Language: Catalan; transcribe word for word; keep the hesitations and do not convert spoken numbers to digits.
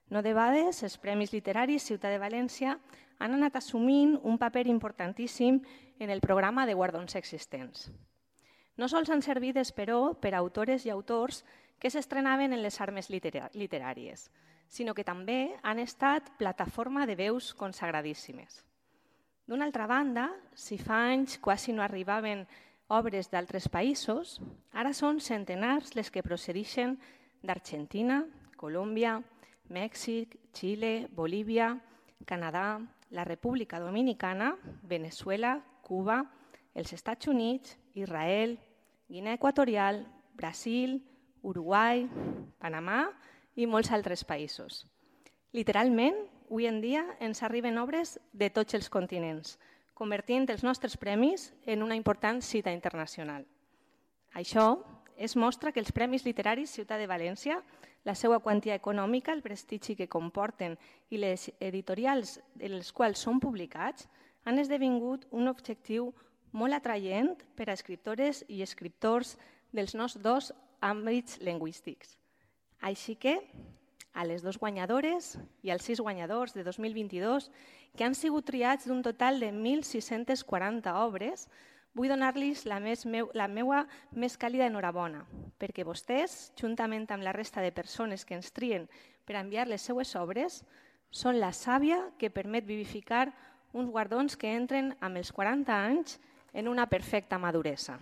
No debades, els Premis Literaris Ciutat de València han anat assumint un paper importantíssim en el programa de guardons existents. No sols han servit, però, per a autores i autors que s'estrenaven en les armes literàries, sinó que també han estat plataforma de veus consagradíssimes. D'una altra banda, si fa anys quasi no arribaven obres d'altres països, ara són centenars les que procedeixen d'Argentina, Colòmbia, Mèxic, Xile, Bolívia, Canadà, la República Dominicana, Veneçuela, Cuba, els Estats Units, Israel, Guinea Equatorial, Brasil, Uruguai, Panamà i molts altres països. Literalment, avui en dia ens arriben obres de tots els continents, convertint els nostres premis en una important cita internacional. Això es mostra que els Premis Literaris Ciutat de València, la seva quantia econòmica, el prestigi que comporten i les editorials en les quals són publicats han esdevingut un objectiu molt atraient per a escriptores i escriptors dels nostres dos àmbits lingüístics. Així que, a les dues guanyadores i als sis guanyadors de dos mil vint-i-dos, que han sigut triats d'un total de mil sis-centes quaranta obres, vull donar-los la, la meva més càlida enhorabona, perquè vostès, juntament amb la resta de persones que ens trien per enviar les seues obres, són la sàvia que permet vivificar uns guardons que entren amb els quaranta anys en una perfecta maduresa.